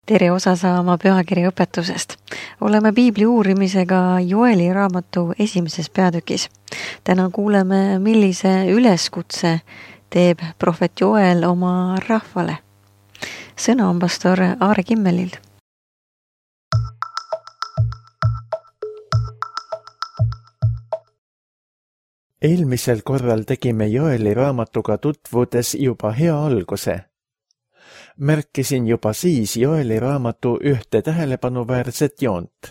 Tere osa saama pühakirja õpetusest. Oleme piibli uurimisega Joeli raamatu esimeses peatükis. Täna kuuleme, millise üleskutse teeb prohvet Joel oma rahvale. Sõna on pastor Aare Kimmelil. Eelmisel korral tegime Joeli raamatuga tutvudes juba hea alguse. Märkisin juba siis Joeli raamatu ühte tähelepanuväärset joont.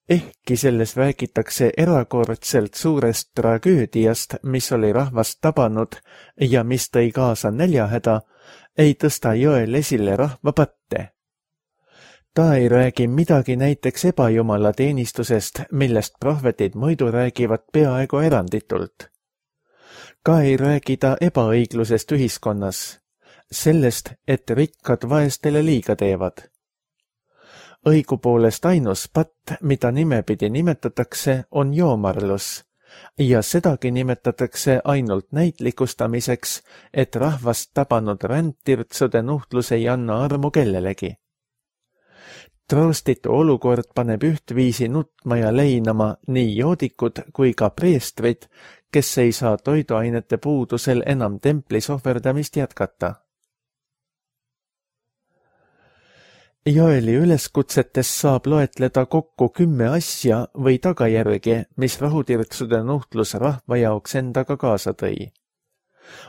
Ehkki selles räägitakse erakordselt suurest tragöödiast, mis oli rahvast tabanud ja mis tõi kaasa näljahäda, ei tõsta Joel esile rahva patte. Ta ei räägi midagi näiteks ebajumala teenistusest, millest prohvetid muidu räägivad peaaegu eranditult. Ka ei räägi ta ebaõiglusest ühiskonnas. Sellest, et rikkad vaestele liiga teevad. Õigupoolest ainus patt, mida nimepidi nimetatakse, on joomarlus ja sedagi nimetatakse ainult näitlikustamiseks, et rahvast tabanud rändtirtsude nuhtlus ei anna armu kellelegi. Troostitu olukord paneb ühtviisi nutma ja leinama nii joodikud kui ka preestrid, kes ei saa toiduainete puudusel enam templis ohverdamist jätkata. Joeli üleskutsetes saab loetleda kokku 10 asja või tagajärgi, mis rahutirtsude nuhtlus rahva jaoks endaga kaasa tõi.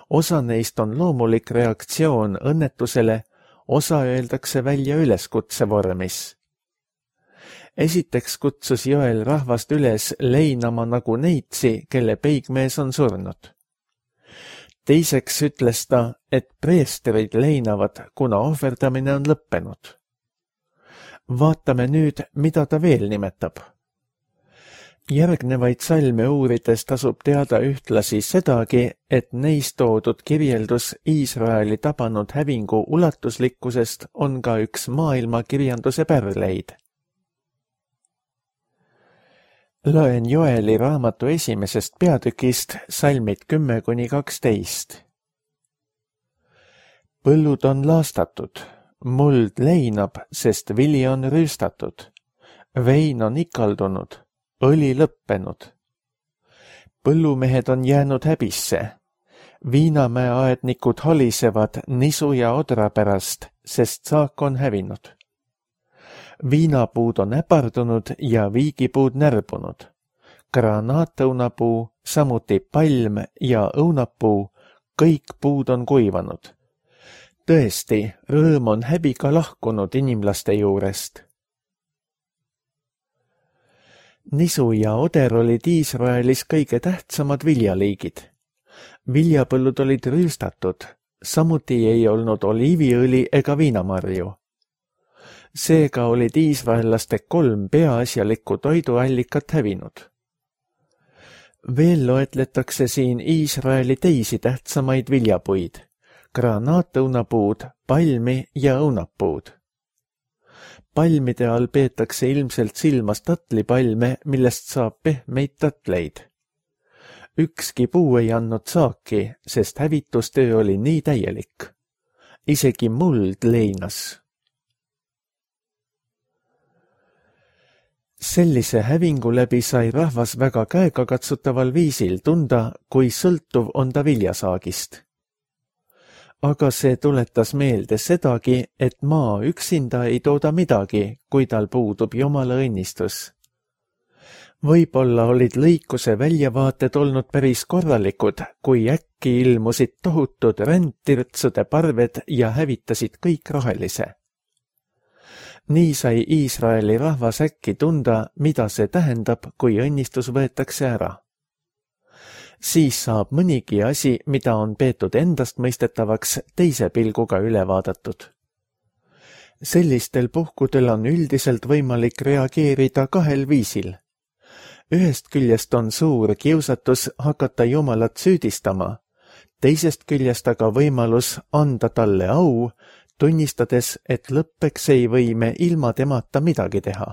Osa neist on loomulik reaktsioon õnnetusele, osa öeldakse välja üleskutse vormis. Esiteks kutsus Joel rahvast üles leinama nagu neitsi, kelle peigmees on surnud. Teiseks ütles ta, et preestrid leinavad, kuna ohverdamine on lõppenud. Vaatame nüüd, mida ta veel nimetab. Järgnevaid salme uurides tasub teada ühtlasi sedagi, et neis toodud kirjeldus Iisraeli tabanud hävingu ulatuslikkusest on ka üks maailma kirjanduse pärleid. Loen Joeli raamatu esimesest peatükist salmid 10–12. Põllud on laastatud. Muld leinab, sest vili on rüüstatud. Vein on ikaldunud, õli lõppenud. Põllumehed on jäänud häbisse. Viinamäe aednikud holisevad nisu ja odra pärast, sest saak on hävinud. Viinapuud on äpardunud ja viigipuud närbunud. Granaatõunapuu, samuti palm ja õunapuu, kõik puud on kuivanud. Tõesti, rõõm on häbiga lahkunud inimlaste juurest. Nisu ja oder olid Iisraelis kõige tähtsamad viljaliigid. Viljapõllud olid rüüstatud, samuti ei olnud oliiviõli ega viinamarju. Seega olid iisraellaste 3 peaasjalikku toiduallikat hävinud. Veel loetletakse siin Iisraeli teisi tähtsamaid viljapuid. Granaatõunapuud, palmi ja õunapuud. Palmide all peetakse ilmselt silmas tatlipalme, millest saab pehmeid tatleid. Ükski puu ei andnud saaki, sest hävitustöö oli nii täielik. Isegi muld leinas. Sellise hävingu läbi sai rahvas väga käegakatsutaval viisil tunda, kui sõltuv on ta viljasaagist. Aga see tuletas meelde sedagi, et maa üksinda ei tooda midagi, kui tal puudub Jumala õnnistus. Võib-olla olid lõikuse väljavaated olnud päris korralikud, kui äkki ilmusid tohutud rändtirtsude parved ja hävitasid kõik rohelise. Nii sai Iisraeli rahvas äkki tunda, mida see tähendab, kui õnnistus võetakse ära. Siis saab mõnigi asi, mida on peetud endastmõistetavaks, teise pilguga üle vaadatud. Sellistel puhkudel on üldiselt võimalik reageerida 2 viisil. Ühest küljest on suur kiusatus hakata Jumalat süüdistama, teisest küljest aga võimalus anda talle au, tunnistades, et lõppeks ei või me ilma temata midagi teha.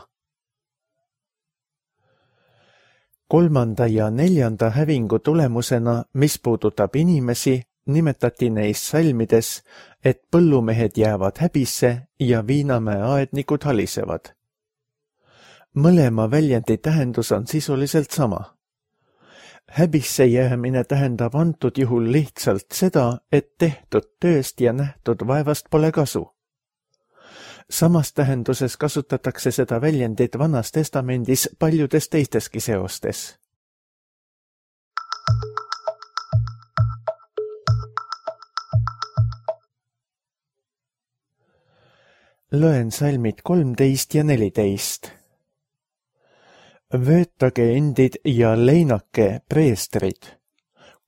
3. ja 4. hävingu tulemusena, mis puudutab inimesi, nimetati neis salmides, et põllumehed jäävad häbisse ja viinamäe aednikud halisevad. Mõlema väljendi tähendus on sisuliselt sama. Häbisse jäämine tähendab antud juhul lihtsalt seda, et tehtud tööst ja nähtud vaevast pole kasu. Samas tähenduses kasutatakse seda väljendit Vanas Testamendis paljudes teisteski seostes. Loen salmid 13 ja 14. Vöötage endid ja leinake preestrid,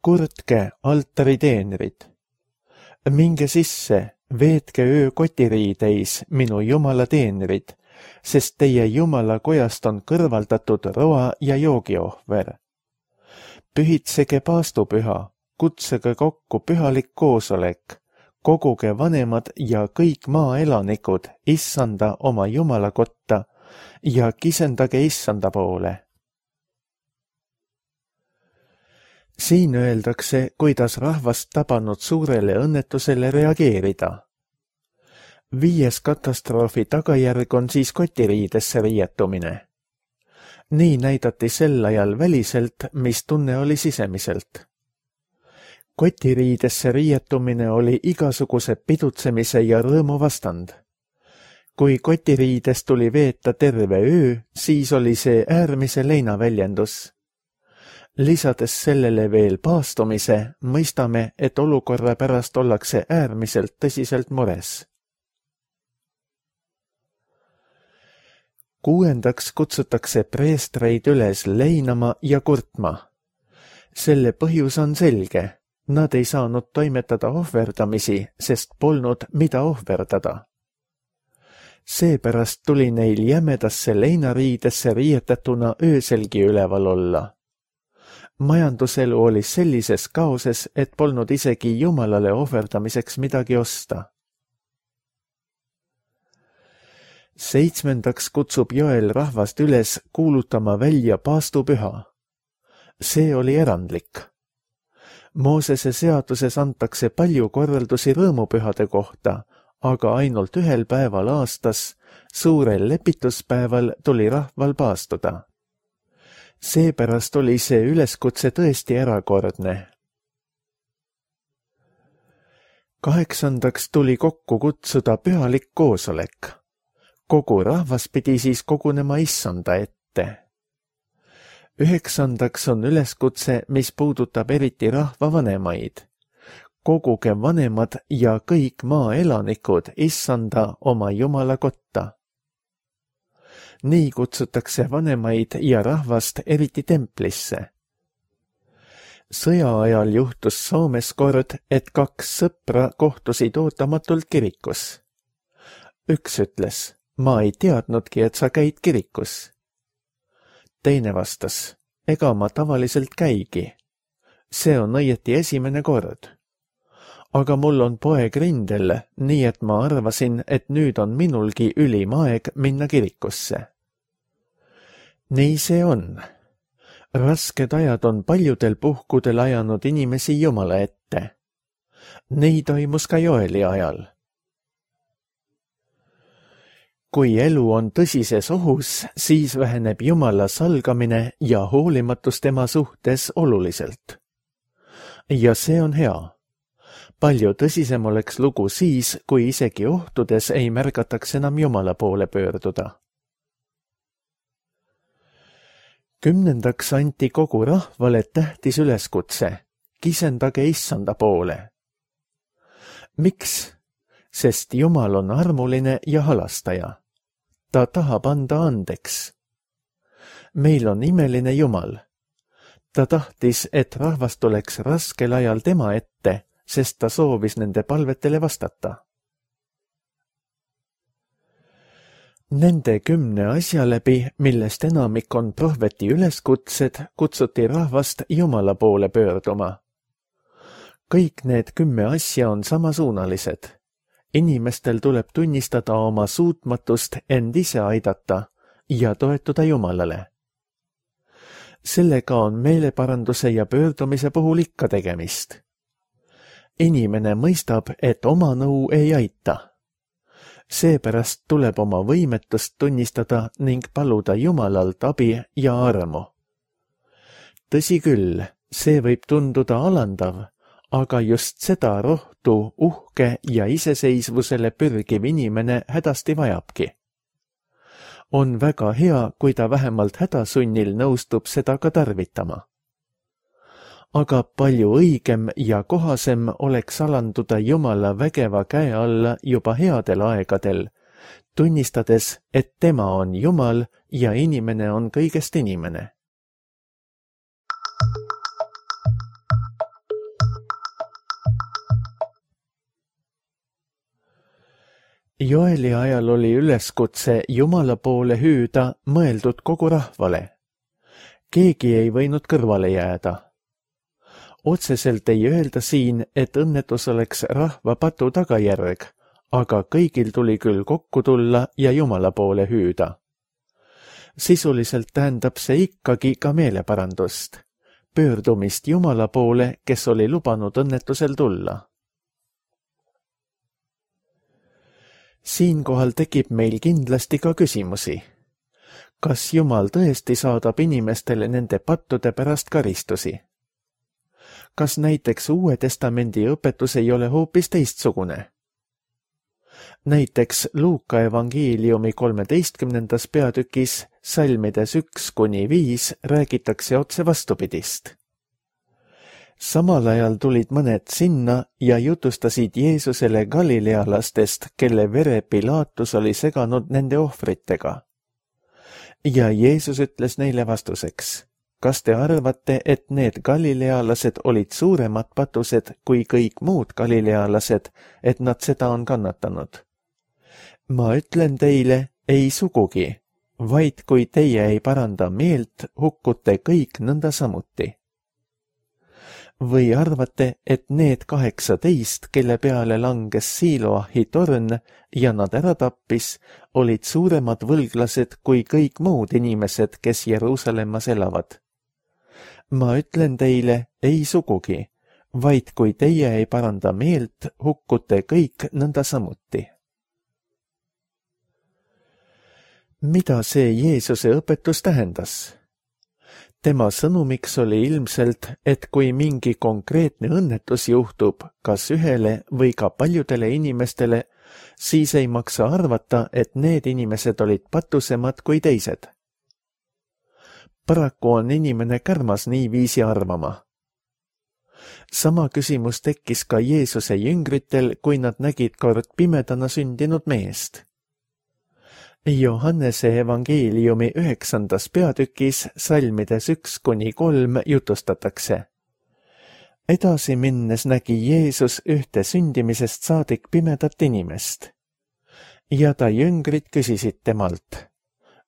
kurtke altariteenrid. Minge sisse, veetke öö kotiriideis, minu Jumala teenrid, sest teie Jumala kojast on kõrvaldatud roa ja joogiohver. Pühitsege paastupüha, kutsege kokku pühalik koosolek, koguge vanemad ja kõik maaelanikud issanda oma Jumala kotta ja kisendage issanda poole. Siin öeldakse, kuidas rahvast tabanud suurele õnnetusele reageerida. 5. katastroofi tagajärg on siis kotiriidesse riietumine. Nii näidati sel ajal väliselt, mis tunne oli sisemiselt. Kotiriidesse riietumine oli igasuguse pidutsemise ja rõõmu vastand. Kui kotiriides tuli veeta terve öö, siis oli see äärmise leinaväljendus. Lisades sellele veel paastumise, mõistame, et olukorra pärast ollakse äärmiselt tõsiselt mures. 6. kutsutakse preestreid üles leinama ja kurtma. Selle põhjus on selge. Nad ei saanud toimetada ohverdamisi, sest polnud mida ohverdada. Seepärast tuli neil jämedasse leinariidesse riietatuna ööselgi üleval olla. Majanduselu oli sellises kaoses, et polnud isegi Jumalale ohverdamiseks midagi osta. 7. kutsub Joel rahvast üles kuulutama välja paastupüha. See oli erandlik. Moosese seaduses antakse palju korraldusi rõõmupühade kohta, aga ainult ühel päeval aastas, suurel lepituspäeval tuli rahval paastuda. Seepärast oli see üleskutse tõesti erakordne. 8. tuli kokku kutsuda pühalik koosolek. Kogu rahvas pidi siis kogunema issanda ette. 9. on üleskutse, mis puudutab eriti rahva vanemaid. Koguge vanemad ja kõik maaelanikud issanda oma Jumala kotta. Nii kutsutakse vanemaid ja rahvast eriti templisse. Sõja ajal juhtus Soomes kord, et 2 sõpra kohtusid ootamatult kirikus. Üks ütles, ma ei teadnudki, et sa käid kirikus. Teine vastas, ega ma tavaliselt käigi. See on õieti esimene kord. Aga mul on poeg rindel, nii et ma arvasin, et nüüd on minulgi ülim aeg minna kirikusse. Nii see on. Rasked ajad on paljudel puhkudel ajanud inimesi Jumala ette. Nii toimus ka Joeli ajal. Kui elu on tõsises ohus, siis väheneb Jumala salgamine ja hoolimatus tema suhtes oluliselt. Ja see on hea. Palju tõsisem oleks lugu siis, kui isegi ohtudes ei märgataks enam Jumala poole pöörduda. 10. anti kogu rahvale tähtis üleskutse, kisendage issanda poole. Miks? Sest Jumal on armuline ja halastaja. Ta tahab anda andeks. Meil on imeline Jumal. Ta tahtis, et rahvas tuleks raskel ajal tema ette, sest ta soovis nende palvetele vastata. Nende 10 asja läbi, millest enamik on prohveti üleskutsed, kutsuti rahvast Jumala poole pöörduma. Kõik need 10 asja on samasuunalised. Inimestel tuleb tunnistada oma suutmatust end ise aidata ja toetuda Jumalale. Sellega on meeleparanduse ja pöördumise puhul ikka tegemist. inimene mõistab, et oma nõu ei aita. Seepärast tuleb oma võimetust tunnistada ning paluda Jumalalt abi ja armu. Tõsi küll, see võib tunduda alandav, aga just seda rohtu, uhke ja iseseisvusele pürgiv inimene hädasti vajabki. On väga hea, kui ta vähemalt hädasunnil nõustub seda ka tarvitama. Aga palju õigem ja kohasem oleks alanduda Jumala vägeva käe alla juba headel aegadel, tunnistades, et tema on Jumal ja inimene on kõigest inimene. Joeli ajal oli üleskutse Jumala poole hüüda mõeldud kogu rahvale. Keegi ei võinud kõrvale jääda. Otseselt ei öelda siin, et õnnetus oleks rahva patu tagajärg, aga kõigil tuli küll kokku tulla ja Jumala poole hüüda. Sisuliselt tähendab see ikkagi ka meeleparandust, pöördumist Jumala poole, kes oli lubanud õnnetusel tulla. Siinkohal tekib meil kindlasti ka küsimusi. Kas Jumal tõesti saadab inimestele nende pattude pärast karistusi? Kas näiteks Uue Testamendi õpetus ei ole hoopis teistsugune? Näiteks Luuka evangeeliumi 13. peatükis salmides 1-5 räägitakse otse vastupidist. Samal ajal tulid mõned sinna ja jutustasid Jeesusele galilealastest, kelle vere Pilaatus oli seganud nende ohvritega. Ja Jeesus ütles neile vastuseks: kas te arvate, et need galilealased olid suuremad patused kui kõik muud galilealased, et nad seda on kannatanud? Ma ütlen teile, ei sugugi, vaid kui teie ei paranda meelt, hukkute kõik nõnda samuti. Või arvate, et need 18, kelle peale langes Siloahi torn ja nad ära tappis, olid suuremad võlglased kui kõik muud inimesed, kes Jeruusalemmas elavad? Ma ütlen teile, ei sugugi, vaid kui teie ei paranda meelt, hukkute kõik nõnda samuti. Mida see Jeesuse õpetus tähendas? Tema sõnumiks oli ilmselt, et kui mingi konkreetne õnnetus juhtub kas ühele või ka paljudele inimestele, siis ei maksa arvata, et need inimesed olid patusemad kui teised. Paraku on inimene kärmas niiviisi arvama. Sama küsimus tekkis ka Jeesuse jüngritel, kui nad nägid kord pimedana sündinud meest. Johannese evangeeliumi 9. peatükis salmides 1-3 jutustatakse. Edasi minnes nägi Jeesus ühte sündimisest saadik pimedat inimest. Ja ta jüngrid küsisid temalt: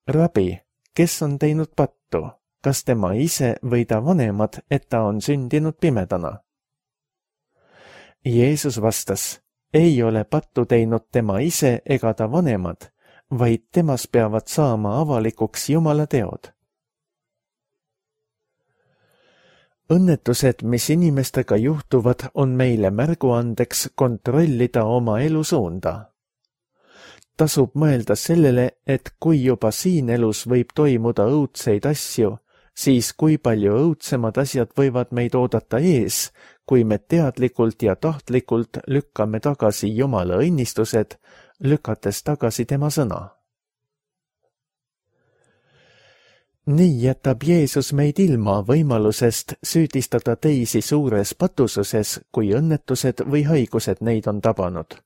Rabi, kes on teinud pattu, kas tema ise või ta vanemad, et ta on sündinud pimedana? Jeesus vastas: ei ole pattu teinud tema ise ega ta vanemad, vaid temas peavad saama avalikuks Jumala teod. Õnnetused, mis inimestega juhtuvad, on meile märguandeks kontrollida oma elusuunda. Tasub mõelda sellele, et kui juba siin elus võib toimuda õudseid asju, siis kui palju õudsemad asjad võivad meid oodata ees, kui me teadlikult ja tahtlikult lükkame tagasi Jumala õnnistused, lükates tagasi tema sõna. Nii jätab Jeesus meid ilma võimalusest süüdistada teisi suures patususes, kui õnnetused või haigused neid on tabanud.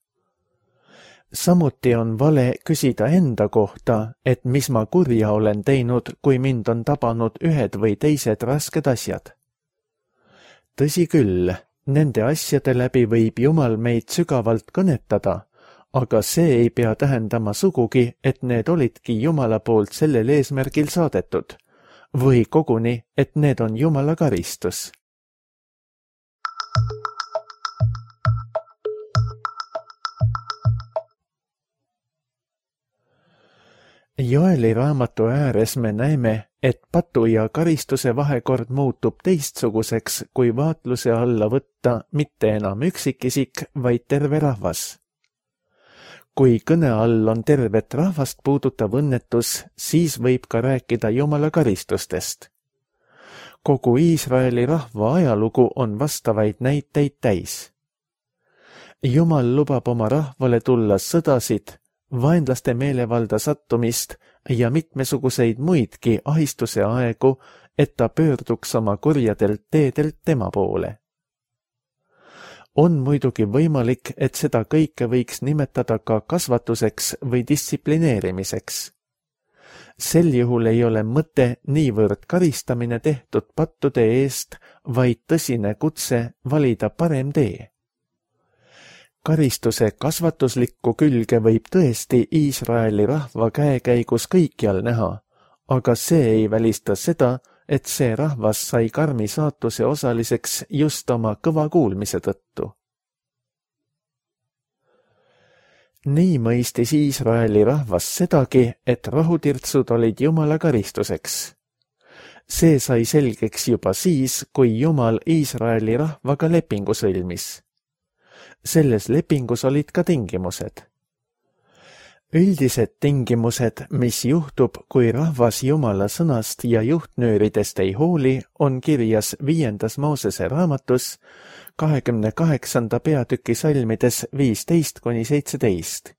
Samuti on vale küsida enda kohta, et mis ma kurja olen teinud, kui mind on tabanud ühed või teised rasked asjad. Tõsi küll, nende asjade läbi võib Jumal meid sügavalt kõnetada, aga see ei pea tähendama sugugi, et need olidki Jumala poolt sellel eesmärgil saadetud, või koguni, et need on Jumala karistus. Joeli raamatu ääres me näeme, et patu ja karistuse vahekord muutub teistsuguseks, kui vaatluse alla võtta mitte enam üksikisik, vaid terve rahvas. Kui kõne all on tervet rahvast puudutav õnnetus, siis võib ka rääkida Jumala karistustest. Kogu Iisraeli rahva ajalugu on vastavaid näiteid täis. Jumal lubab oma rahvale tulla sõdasid, vaenlaste meelevalda sattumist ja mitmesuguseid muidki ahistuse aegu, et ta pöörduks oma kurjadelt teedelt tema poole. On muidugi võimalik, et seda kõike võiks nimetada ka kasvatuseks või distsiplineerimiseks. Sel juhul ei ole mõte niivõrd karistamine tehtud pattude eest, vaid tõsine kutse valida parem tee. Karistuse kasvatuslikku külge võib tõesti Iisraeli rahva käekäigus kõikjal näha, aga see ei välista seda, et see rahvas sai karmi saatuse osaliseks just oma kõva kuulmise tõttu. Nii mõistis Iisraeli rahvas sedagi, et rahutirtsud olid Jumala karistuseks. See sai selgeks juba siis, kui Jumal Iisraeli rahvaga lepingu sõlmis. Selles lepingus olid ka tingimused. Üldised tingimused, mis juhtub, kui rahvas Jumala sõnast ja juhtnööridest ei hooli, on kirjas 5. Moosese raamatus 28. peatüki salmides 15–17.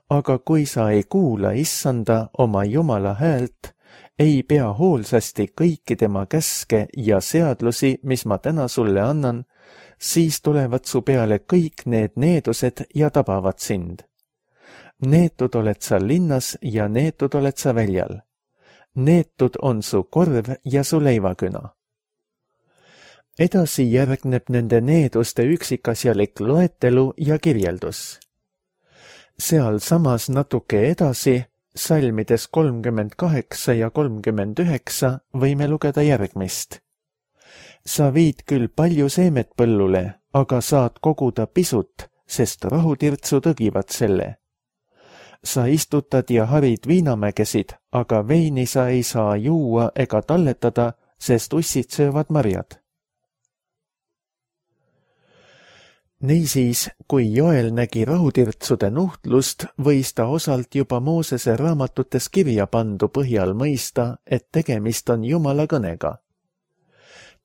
Aga kui sa ei kuula Issanda oma Jumala häält, ei pea hoolsasti kõiki tema käske ja seadlusi, mis ma täna sulle annan, siis tulevad su peale kõik need needused ja tabavad sind. Neetud oled sa linnas ja neetud oled sa väljal. Neetud on su korv ja su leivaküna. Edasi järgneb nende needuste üksikasjalik loetelu ja kirjeldus. Seal samas natuke edasi, salmides 38 ja 39 võime lugeda järgmist. Sa viid küll palju seemet põllule, aga saad koguda pisut, sest rahutirtsu tõgivad selle. Sa istutad ja harid viinamägesid, aga veini sa ei saa juua ega talletada, sest ussid söövad marjad. Niisiis, kui Joel nägi rahutirtsude nuhtlust, võis ta osalt juba Moosese raamatutes kirja pandu põhjal mõista, et tegemist on Jumala kõnega.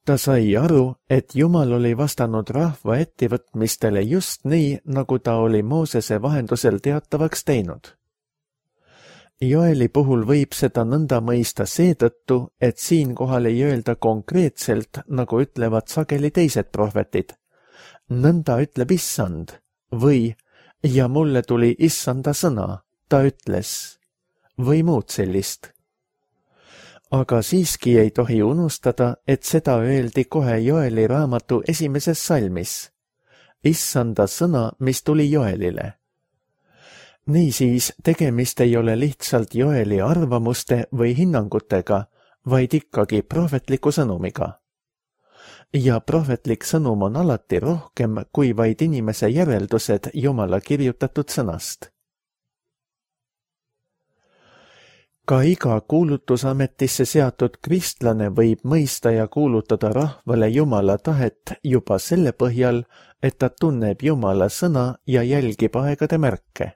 Ta sai aru, et Jumal oli vastanud rahva ettevõtmistele just nii, nagu ta oli Moosese vahendusel teatavaks teinud. Joeli puhul võib seda nõnda mõista seetõttu, et siinkohal ei öelda konkreetselt, nagu ütlevad sageli teised prohvetid. Nõnda ütleb Issand või ja mulle tuli Issanda sõna, ta ütles või muud sellist. Aga siiski ei tohi unustada, et seda öeldi kohe Joeli raamatu 1. salmis. Issanda sõna, mis tuli Joelile. Niisiis, tegemist ei ole lihtsalt Joeli arvamuste või hinnangutega, vaid ikkagi prohvetliku sõnumiga. Ja prohvetlik sõnum on alati rohkem kui vaid inimese järeldused Jumala kirjutatud sõnast. Ka iga kuulutusametisse seatud kristlane võib mõista ja kuulutada rahvale Jumala tahet juba selle põhjal, et ta tunneb Jumala sõna ja jälgib aegade märke.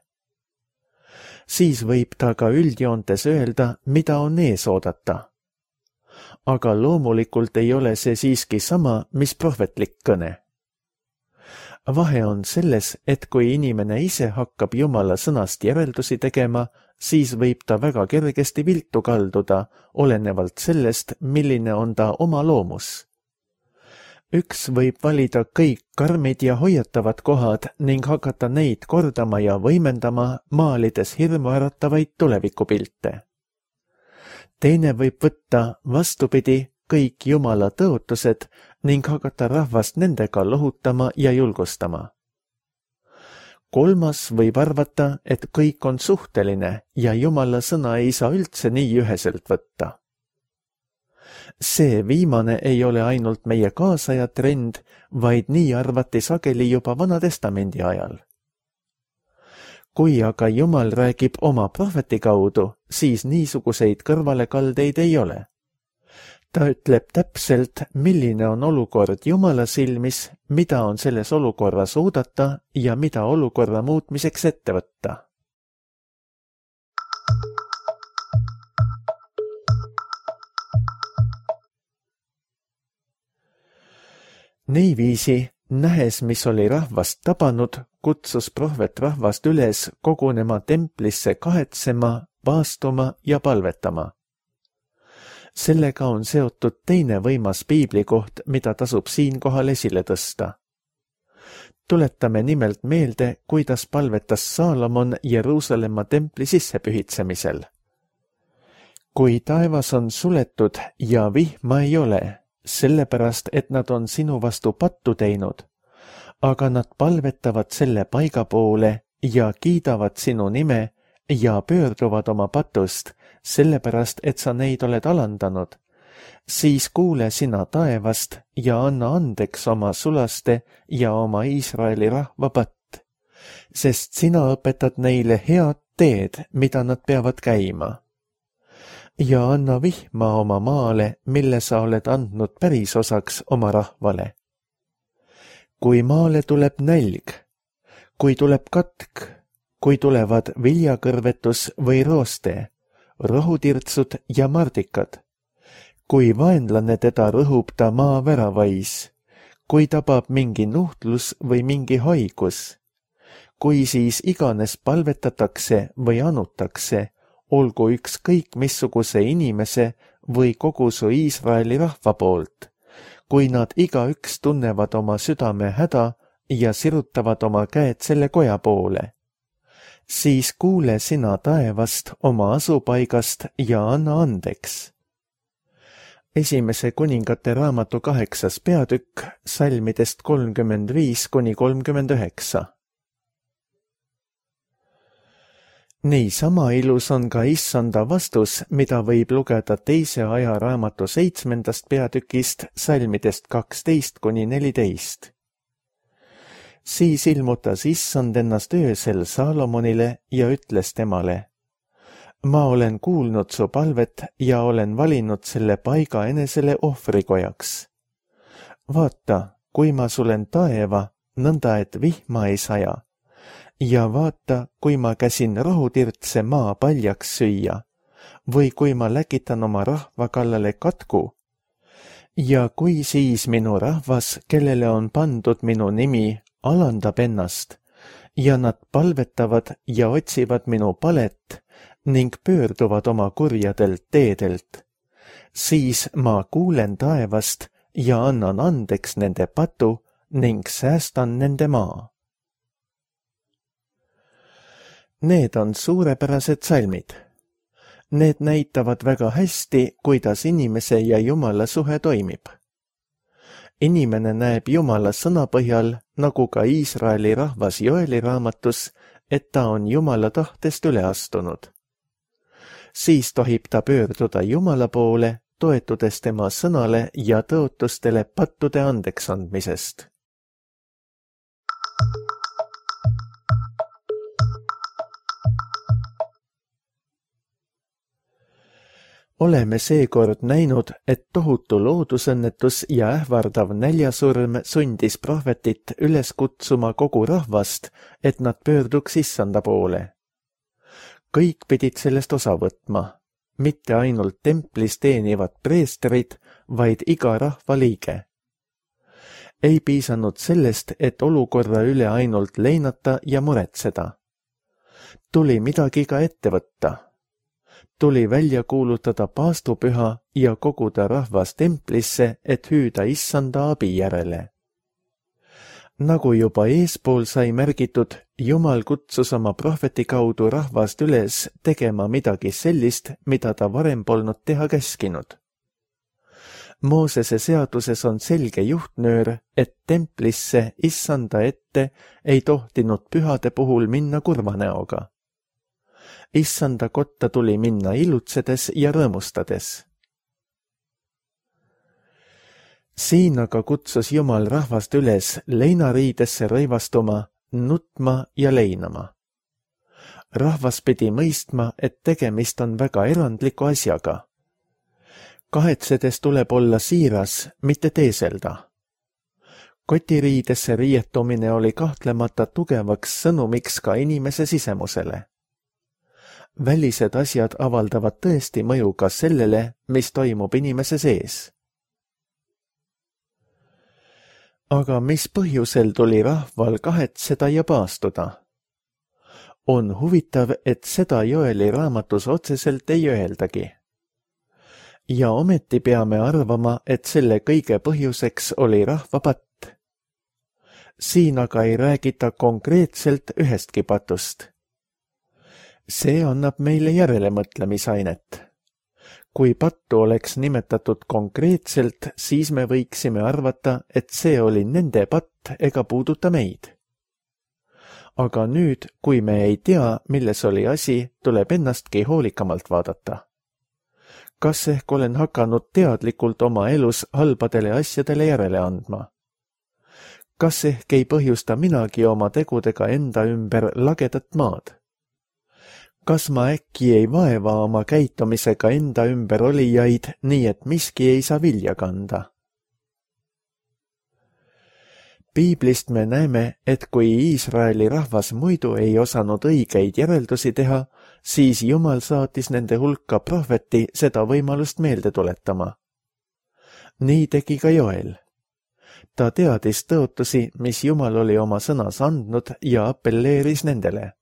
Siis võib ta ka üldjoontes öelda, mida on ees oodata. Aga loomulikult ei ole see siiski sama, mis prohvetlik kõne. Vahe on selles, et kui inimene ise hakkab Jumala sõnast järeldusi tegema, siis võib ta väga kergesti viltu kalduda, olenevalt sellest, milline on ta oma loomus. Üks võib valida kõik karmid ja hoiatavad kohad ning hakata neid kordama ja võimendama, maalides hirmuäratavaid tulevikupilte. Teine võib võtta vastupidi kõik Jumala tõotused ning hakata rahvast nendega lohutama ja julgustama. Kolmas võib arvata, et kõik on suhteline ja Jumala sõna ei saa üldse nii üheselt võtta. See viimane ei ole ainult meie kaasaja trend, vaid nii arvati sageli juba Vana Testamendi ajal. kui aga Jumal räägib oma prohveti kaudu, siis niisuguseid kõrvalekaldeid ei ole. Ta ütleb täpselt, milline on olukord Jumala silmis, mida on selles olukorras oodata ja mida olukorra muutmiseks ette võtta. Niiviisi, nähes, mis oli rahvast tabanud, kutsus prohvet rahvast üles kogunema templisse kahetsema, vaastuma ja palvetama. Sellega on seotud teine võimas piiblikoht, mida tasub siinkohal esile tõsta. Tuletame nimelt meelde, kuidas palvetas Saalomon Jeruusalemma templi sissepühitsemisel. Kui taevas on suletud ja vihma ei ole, sellepärast, et nad on sinu vastu pattu teinud, aga nad palvetavad selle paiga poole ja kiidavad sinu nime ja pöörduvad oma patust, sellepärast, et sa neid oled alandanud, siis kuule sina taevast ja anna andeks oma sulaste ja oma Iisraeli rahva patt, sest sina õpetad neile head teed, mida nad peavad käima. Ja anna vihma oma maale, mille sa oled andnud pärisosaks oma rahvale. Kui maale tuleb nälg, kui tuleb katk, kui tulevad viljakõrvetus või rooste, rohutirtsud ja mardikad, kui vaenlane teda rõhub ta maa väravais, kui tabab mingi nuhtlus või mingi haigus, kui siis iganes palvetatakse või anutakse, olgu ükskõik missuguse inimese või kogu su Iisraeli rahva poolt, kui nad igaüks tunnevad oma südame häda ja sirutavad oma käed selle koja poole, siis kuule sina taevast oma asupaigast ja anna andeks. Esimese kuningate raamatu 8. peatükk, salmidest 35–39. Niisama ilus on ka issanda vastus, mida võib lugeda teise ajaraamatu 7. peatükist, salmidest 12–14. Siis ilmutas issand ennast öösel Saalomonile ja ütles temale: ma olen kuulnud su palvet ja olen valinud selle paiga enesele ohvrikojaks. Vaata, kui ma sulen taeva, nõnda et vihma ei saja. Ja vaata, kui ma käsin rohutirtse maa paljaks süüa, või kui ma läkitan oma rahva kallale katku. Ja kui siis minu rahvas, kellele on pandud minu nimi, alandab ennast, ja nad palvetavad ja otsivad minu palet ning pöörduvad oma kurjadelt teedelt, siis ma kuulen taevast ja annan andeks nende patu ning säästan nende maa. Need on suurepärased salmid. Need näitavad väga hästi, kuidas inimese ja Jumala suhe toimib. Inimene näeb Jumala sõna põhjal, nagu ka Iisraeli rahvas Joeli raamatus, et ta on Jumala tahtest üle astunud. Siis tohib ta pöörduda Jumala poole, toetudes tema sõnale ja tõotustele pattude andeks andmisest. Oleme seekord näinud, et tohutu loodusõnnetus ja ähvardav näljasurm sundis prohvetit üles kutsuma kogu rahvast, et nad pöörduks issanda poole. Kõik pidid sellest osa võtma, mitte ainult templis teenivad preestrid, vaid iga rahva liige. Ei piisanud sellest, et olukorra üle ainult leinata ja muretseda. Tuli midagi ka ette võtta. Tuli välja kuulutada paastupüha ja koguda rahvas templisse, et hüüda issanda abi järele. Nagu juba eespool sai märgitud, Jumal kutsus oma prohveti kaudu rahvast üles tegema midagi sellist, mida ta varem polnud teha käskinud. Moosese seaduses on selge juhtnöör, et templisse issanda ette ei tohtinud pühade puhul minna kurva näoga. Issanda kotta tuli minna ilutsedes ja rõõmustades. Siin aga kutsus Jumal rahvast üles leinariidesse rõivastuma, nutma ja leinama. Rahvas pidi mõistma, et tegemist on väga erandliku asjaga. Kahetsedes tuleb olla siiras, mitte teeselda. Kotiriidesse riietumine oli kahtlemata tugevaks sõnumiks ka inimese sisemusele. Välised asjad avaldavad tõesti mõju ka sellele, mis toimub inimese sees. Aga mis põhjusel tuli rahval kahetseda ja paastuda? On huvitav, et seda Joeli raamatus otseselt ei öeldagi. Ja ometi peame arvama, et selle kõige põhjuseks oli rahva patt. Siin aga ei räägita konkreetselt ühestki patust. See annab meile järelemõtlemisainet. Kui pattu oleks nimetatud konkreetselt, siis me võiksime arvata, et see oli nende patt ega puuduta meid. Aga nüüd, kui me ei tea, milles oli asi, tuleb ennastki hoolikamalt vaadata. Kas ehk olen hakanud teadlikult oma elus halbadele asjadele järele andma? Kas ehk ei põhjusta minagi oma tegudega enda ümber lagedat maad? Kas ma äkki ei vaeva oma käitumisega enda ümber olijaid, nii et miski ei saa vilja kanda? Piiblist me näeme, et kui Iisraeli rahvas muidu ei osanud õigeid järeldusi teha, siis Jumal saatis nende hulka prohveti seda võimalust meelde tuletama. Nii tegi ka Joel. Ta teadis tõotusi, mis Jumal oli oma sõnas andnud ja appelleeris nendele.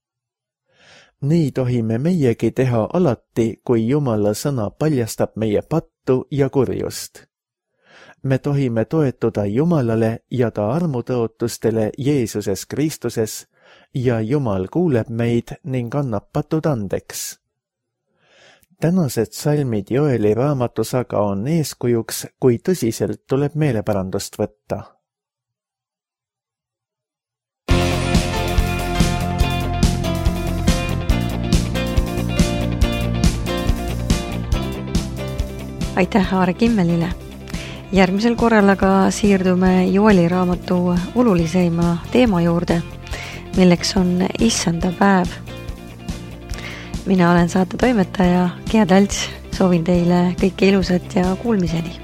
Nii tohime meiegi teha alati, kui Jumala sõna paljastab meie pattu ja kurjust. Me tohime toetuda Jumalale ja ta armutõotustele Jeesuses Kristuses ja Jumal kuuleb meid ning annab patud andeks. Tänased salmid Joeli raamatus aga on eeskujuks, kui tõsiselt tuleb meeleparandust võtta. Aitäh Aare Kimmelile! Järgmisel korral aga siirdume Joeli raamatu oluliseima teema juurde, milleks on issanda päev. Mina olen saate toimetaja Gea Talts, soovin teile kõike ilusat ja kuulmiseni!